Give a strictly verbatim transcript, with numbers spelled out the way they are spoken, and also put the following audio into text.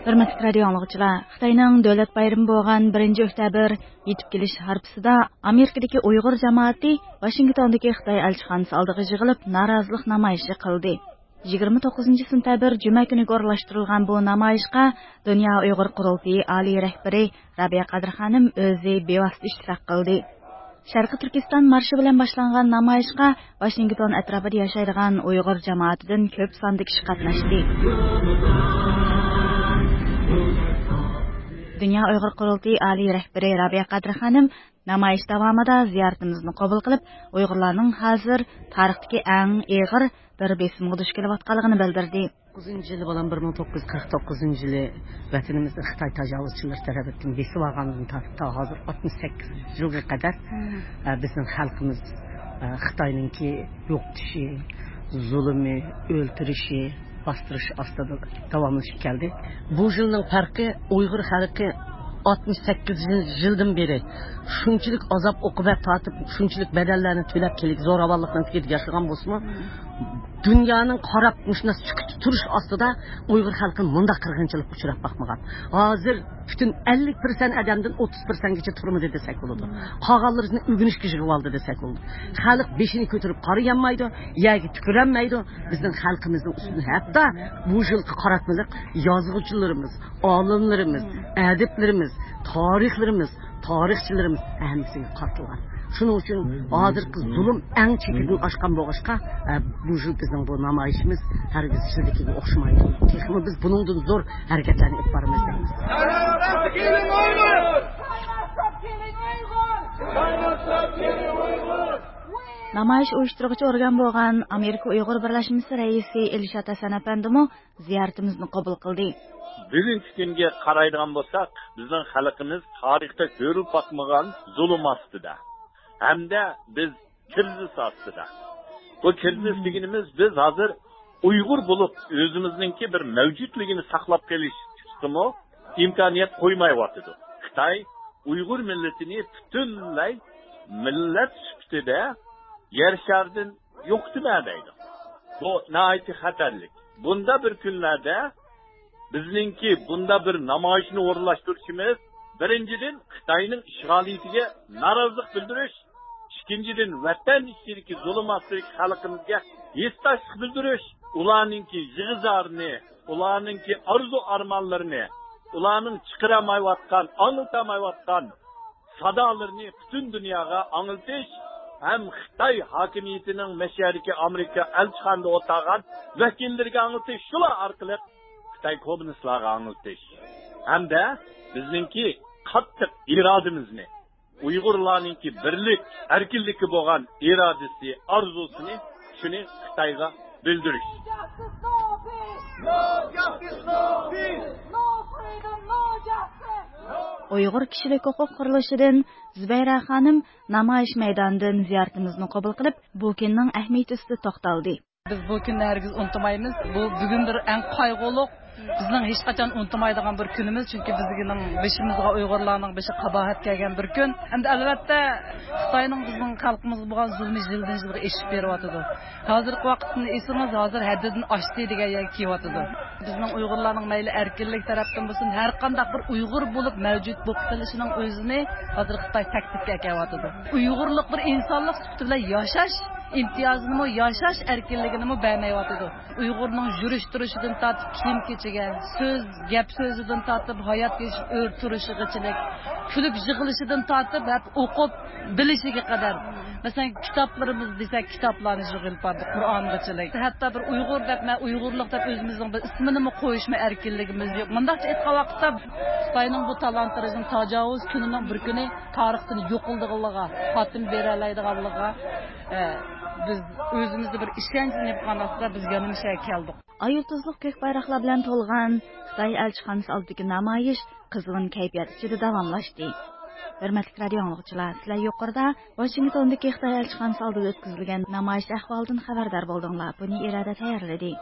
ھۆرمەتلىك رادىيو ئاڭلىغۇچىلار، خىتاينىڭ دۆلەت بايرىمى بولغان بىرىنچى ئۆكتەبىر يېتىپ كېلىش ھارپىسىدا ئامېرىكىدىكى ئۇيغۇر جامائىتى ۋاشىنگتوندىكى خىتاي ئەلچىخانىسى ئالدىغا يىغىلىپ، نارازىلىق نامايىشى قىلدى. يىگىرمە توققۇزىنچى سېنتەبىر جۈمە كۈنىگە ئورۇنلاشتۇرۇلغان بۇ نامايىشقا دۇنيا ئۇيغۇر قۇرۇلتىيى ئالىي رەھبىرى رابىيە قادىر خانىم ئۆزى بىۋاسىتە ئىشتىراك قىلدى. شەرقىي تۈركىستان مارشى بىلەن باشلانغان نامايىشقا ۋاشىنگتون ئەتراپىدا ياشايدىغان ئۇيغۇر جامائىتىدىن كۆپ ساندا كىشى قاتناشتى. دۇنيا ئۇيغۇر قۇرۇلتىيى ئالىي رەھبىرى رابىيە قادىر خانىم نامايىش داۋامىدا زىيارىتىمىزنى قوبۇل قىلىپ، ئۇيغۇرلارنىڭ ھازىر تارىختىكى ئەڭ ئېغىر بىر بېسىمغا دۇچ كېلىۋاتقانلىقىنى بىلدۈردى. توققۇزىنچى يىلى بولان بىر مىڭ توققۇز يۈز قىرىق توققۇزىنچى يىلى ۋەتىنىمىزنى خىتاي تاجاۋۇزچىلىرى تەرىپىدىن بېسىپ ئالغاندىن تارتىپ تا ھازىر ئاتمىش سەككىز يىلغا قەدەر، ئە، بىزنىڭ خەلقىمىز، ئە، خىتاينىڭكى يوقىتىشى، زۇلۇمى، ئۆلتۈرۈشى، باستۇرۇشى ئاستىدا داۋاملىشىپ كەلدى. بۇ يىلنىڭ پەرقى، ئۇيغۇر خەلقى ئاتمىش سەككىز يىلدىن بېرى شۇنچىلىك ئازاب ئوقۇبەت تارتىپ، شۇنچىلىك بەدەللەرنى تۆلەپ كېلىپ، زوراۋانلىقنىڭ تېگىدە ياشىغان بولسىمۇ، دۇنيانىڭ قاراپ مۇشۇنداق سۈكۈتتە تۇرۇش ئاستىدا ئۇيغۇر خەلقى مۇنداق قىرغىنچىلىققا ئۇچراپ باقمىغان. ھازىر پۈتۈن ئەللىك پىرسەنت ئادەمدىن ئوتتۇز پىرسەنتكىچە تۈرمىدە دېسەك بولىدۇ. قالغانلىرىنى ئۆگىنىشكە يىغىۋالدى دېسەك بولىدۇ. خەلق بېشىنى كۆتۈرۈپ قارىيالمايدۇ، يەرگە تۈكۈرەلمەيدۇ. بىزنىڭ خەلقىمىزنىڭ ئۈستىدىن ھەتتا بۇ يىلقى قاراتمىلىق يازغۇچىلىرىمىز، ئالىملىرىمىز، ئەدىبلىرىمىز، تارىخلىرىمىز، تارىخچىلىرىمىز ھەممىسىگە قارىتىلغان. شۇنىڭ ئۈچۈن ھازىرقى زۇلۇم ئەڭ چېكىدىن ئاشقان بولغاچقا، ئە، بۇ يىل بىزنىڭ بۇ نامايىشىمىز ھەرگىز يىلدىكىگە ئوخشىمايدۇ. تېخىمۇ بىز بۇنىڭدىن زور ھەرىكەتلەرنى ئېلىپ بارىمىز دەيمىز. نامايىش ئۇيۇشتۇرغۇچى ئورگان بولغان ئامېرىكا ئۇيغۇر بىرلەشمىسى رەئىسى ئىلشات ھەسەن ئەپەندىمۇ زىيارىتىمىزنى قوبۇل قىلدى. بۈگۈنكى كۈنگە قارايدىغان بولساق، بىزنىڭ خەلقىمىز تارىختا كۆرۈلۈپ باقمىغان زۇلۇم ئاستىدا ھەمدە بىز كىرىزىس ئاستىدا. بۇ كىرىزىس دېگىنىمىز، بىز ھازىر ئۇيغۇر بولۇپ، ئۆزىمىزنىڭكى بىر مەۋجۇتلۇقىنى ساقلاپ قېلىشقىمۇ ئىمكانىيەت قويمايۋاتىدۇ. خىتاي ئۇيغۇر مىللىتىنى پۈتۈنلەي مىللەت سۈپىتىدە يەر شارىدىن يوقىتىمەن دەيدۇ. بۇ ناھايىتى خەتەرلىك. بۇندا بىر كۈنلەردە بىزنىڭكى بۇندا بىر نامايىشنى ئورۇنلاشتۇرۇشىمىز، بىرىنچىدىن، خىتاينىڭ ئىشغالىيىتىگە نارازىلىق بىلدۈرۈش، ئىككىنچىدىن، ۋەتەن ئىچىدىكى زۇلۇم ئاستىدىكى خەلقىمىزگە ھېسداشلىق بىلدۈرۈش، ئۇلارنىڭكى يىغا-زارىنى، ئۇلارنىڭكى ئارزۇ-ئارمانلىرىنى، ئۇلارنىڭ چىقىرالمايۋاتقان، ئاڭلىتالمايۋاتقان سادالىرىنى پۈتۈن دۇنياغا ئاڭلىتىش ھەم خىتاي ھاكىمىيىتىنىڭ مەشەدىكى ئامېرىكا ئەلچىخانىدا ئولتۇرغان ۋەكىللىرىگە ئاڭلىتىش، شۇلار ئارقىلىق خىتاي كوممۇنىستلارغا ئاڭلىتىش ھەمدە بىزنىڭكى قاتتىق ئىرادىمىزنى، ئۇيغۇرلارنىڭكى بىرلىك، ئەركىنلىككە بولغان ئىرادىسى، ئارزۇسىنى، شۇنى خىتايغا بىلدۈرۈش. ئۇيغۇر كىشىلىك ھوقۇق قۇرۇلۇشىدىن زۇبەيرە خانىم نامايىش مەيدانىدىن زىيارىتىمىزنى قوبۇل قىلىپ، بۇ كۈننىڭ ئەھمىيىتى ئۈستىدە توختالدى. بىز بۇ كۈننى ھەرگىز ئۇنتۇمايمىز. بۇ بۈگۈن بىر ئەڭ قايغۇلۇق، بىزنىڭ ھېچقاچان ئۇنتۇمايدىغان بىر كۈنىمىز، چۈنكى بىزنىڭ بېشىمىزغا ئۇيغۇرلارنىڭ بېشىغا قاباھەت كەلگەن بىر كۈن. ئەمدى ئەلۋەتتە خىتاينىڭ بىزنىڭ خەلقىمىزغا بولغان زۇلمى يىلدىن يىلغا ئېشىپ بېرىۋاتىدۇ. ھازىرقى ۋاقىتنى ئېلسىڭىز، ھازىر ھەددىدىن ئاشتى دېگەن يەرگە كېلىۋاتىدۇ. بىزنىڭ ئۇيغۇرلارنىڭ مەيلى ئەركىنلىك تەرەپتىن بولسۇن، ھەر قانداق بىر ئۇيغۇر بولۇپ مەۋجۇت بولۇپ قېلىشىنىڭ ئۆزىنى ھازىر خىتاي تەكلىپكە ئەكەلىۋاتىدۇ. ئۇيغۇرلۇق بىر ئىنسانلىق سۈپىتى بىلەن ياشاش ئىمتىيازىنىمۇ، ياشاش ئەركىنلىكىنىمۇ بەرمەيۋاتىدۇ. ئۇيغۇرنىڭ يۈرۈش تۇرۇشىدىن تارتىپ كىيىم كېچىگە، سۆز، گەپ سۆزىدىن تارتىپ ھايات كەچۈرۈش، ئۆرە تۇرۇشىغىچىلىك، كۈلۈپ يىغلىشىدىن تارتىپ ھەم ئوقۇپ بىلىشىگە قەدەر. مەسىلەن، كىتابلىرىمىز دېسەك، كىتابلارنى يىغىپ باردۇق، قۇرئانغىچىلىك. ھەتتا بىر ئۇيغۇر دەپ، مەن ئۇيغۇرلۇق دەپ ئۆزىمىزنىڭ بىر ئىسمىنىمۇ قويۇشمۇ ئەركىنلىكىمىز يوق. مۇنداقچە ئېيتقان ۋاقىتتا، خىتاينىڭ بۇ تالان-تاراجنىڭ تاجاۋۇز كۈنىنىڭ بىر كۈنى تارىختىن يوقىلىدىغانلىقىغا، خاتىمە بېرەلەيدىغانلىقىغا، ئە، بىز ئۆزىمىزدە بىر ئىشەنچ نېمە قىلغان ۋاقىتتا بىز يەنە مۇشۇ يەرگە كەلدۇق. ئاي يۇلتۇزلۇق كۆك بايراقلار بىلەن تولغان خىتاي ئەلچىخانىسى ئالدىدىكى نامايىش قىزغىن كەيپىيات ئىچىدە داۋاملاشتى. ھۆرمەتلىك رادىيو ئاڭلىغۇچىلار، سىلەر يۇقىرىدا ۋاشىنگتوندىكى خىتاي ئەلچىخانىسى ئالدىدا ئۆتكۈزۈلگەن نامايىش ئەھۋالىدىن خەۋەردار بولدۇڭلار. بۇنى ئىرادە تەييارلىدى.